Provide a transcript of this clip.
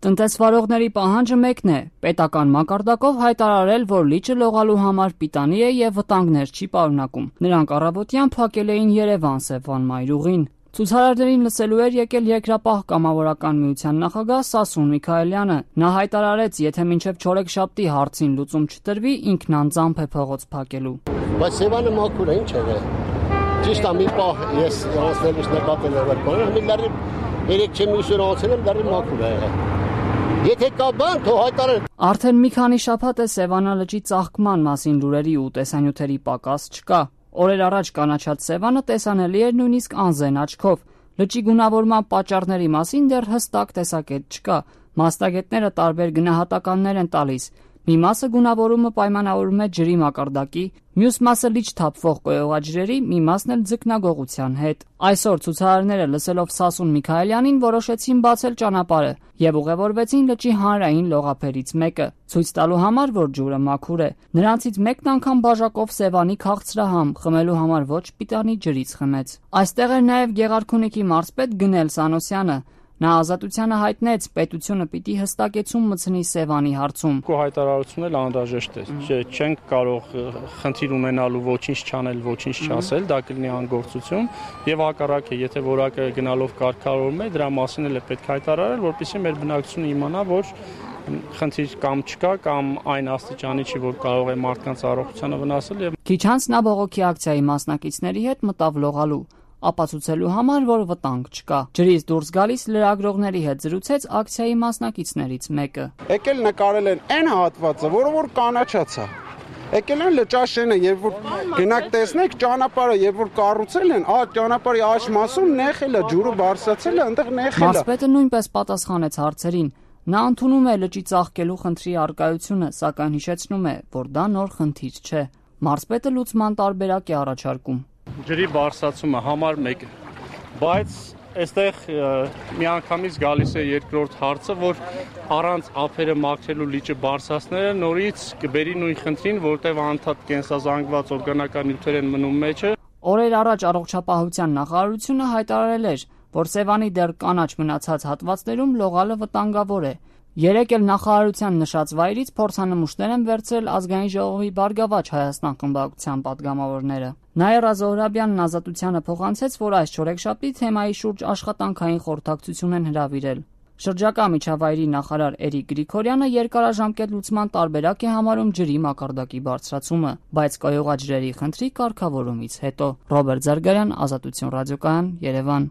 Տնտեսվարողների պահանջը մեկն է՝ պետական մակարդակով հայտարարել, որ լիճը լողալու համար պիտանի է եւ վտանգներ չի պարունակում։ Նրանք առավոտյան փակել էին Երևան Սևան մայրուղին։ Ցուցարարներին լսելու էր եկել Երկրապահ կամավորական միության նախագահ Սասուն Միքայելյանը։ Նա հայտարարեց, եթե մինչև չորեքշաբթի հարցին լուծում չտրվի, ինքն անձամբ է փողոց փակելու։ Բայց Սևանը մաքուր է, ինչ է։ Ճիշտ է, մի պահ ես անցնելուց նկատել եմ բանը, մի լարի 3 միսը անցել եմ, լարի մաքուր է։ Եթե կա բան, թող հայտարարեն։ Արդեն մի քանի շաբաթ է Սևանա լճի ծաղկման մասին լուրերի ու տեսանյութերի պակաս չկա։ Օրեր առաջ կանաչած Սևանը տեսանելի էր նույնիսկ անզեն աչքով։ Լճի գունավորման պատճառների մասին դեռ հստակ տեսակետ չկա։ Մասնագետները տարբեր գնահատականներ են տալիս։ Մի մասը գունավորումը պայմանավորում է ջրի մակարդակի, մյուս մասը լիճ թափվող կոյուղաջրերի, մի մասն էլ ձկնագողության հետ։ Այսօր ցուցարարները լսելով Սասուն Միքայելյանին որոշեցին բացել ճանապարհը եւ ուղևորվեցին լճի հանրային լողափերից մեկը, ցույց տալու համար, որ ջուրը մաքուր է։ Նրանցից մեկն անգամ բաժակով Սևանի քաղցրահամ խմելու համար ոչ պիտանի ջրից խմեց։ Այստեղ էր նաեւ Գեղարքունիքի մարզպետ Գնել Սանոսյանը։ Նա ազատությանը հայտնեց, պետությունը պիտի հստակեցում մտցնի Սևանի հարցում։ Քո հայտարարությունն էլ անհրաժեշտ է։ Չենք կարող խնդիր ունենալու ոչինչ չանել, ոչինչ չասել, դա կլինի անգործություն եւ հակառակը, եթե որակը գնալով կարգավորում է, դրա մասին էլ է պետք հայտարարել, որպեսզի մեր բնակչությունը իմանա, որ խնդիր կամ չկա կամ այն աստիճանի չի, որ կարող է մարդկանց առողջությանը վնասել եւ քիչ անց նա բողոքի ակցիայի մասնակիցների հետ մտավ լողալու, ապացուցելու համար, որ վտանգ չկա։ Ջրից դուրս գալիս լրագրողների հետ զրուցեց ակցիայի մասնակիցներից մեկը։ Եկել նկարել են այն հատվածը, որը որ կանաչած է։ Եկել են լճաշենը, երբ որ գնաք տեսնեք ճանապարհը, երբ որ կառուցել են, ճանապարհի աջ մասում նեխել է, ջուրը բարձրացել է, այնտեղ նեխել է։ Մարզպետը նույնպես պատասխանեց հարցերին։ Նա ընդունում է լճի ծաղկելու խնդրի առկայությունը, սակայն հիշեցնում է, որ դա նոր խնդիր չէ։ Մարզպետը լուծման տարբերակ է առաջարկում։ Ջրի բարձրացումը համար 1, բայց այստեղ միանգամից գալիս է երկրորդ հարցը, որ առանց ափերը մաքրելու լիճը բարձրացնելը նորից կբերի նույն խնդրին, որտեղ անդադ կենսազանգված օրգանական նյութեր են մնում մեջը։ Օրեր առաջ առողջապահության նախարարությունը հայտարարել էր, որ Սևանի դեռ կանաչ մնացած հատվածներում լողալը վտանգավոր է։ Երեկ էլ նախարարության նշած վայրից փորձանմուշներ են վերցրել Ազգային ժողովի Բարգավաճ Հայաստան խմբակցության պատգամավորները։ Նաիրա Զոհրաբյանն Ազատությանը փոխանցեց, որ այս չորեքշաբթի թեմայի շուրջ աշխատանքային խորհրդակցություն են հրավիրել։ Շրջակա միջավայրի նախարար Էրիկ Գրիգորյանը երկարաժամկետ լուծման տարբերակ է համարում ջրի մակարդակի բարձրացումը, բայց կոյուղաջրերի խնդրի կարգավորումից հետո։ Ռոբերտ Զարգարյան, Ազատություն ռադիոկայան, Երևան։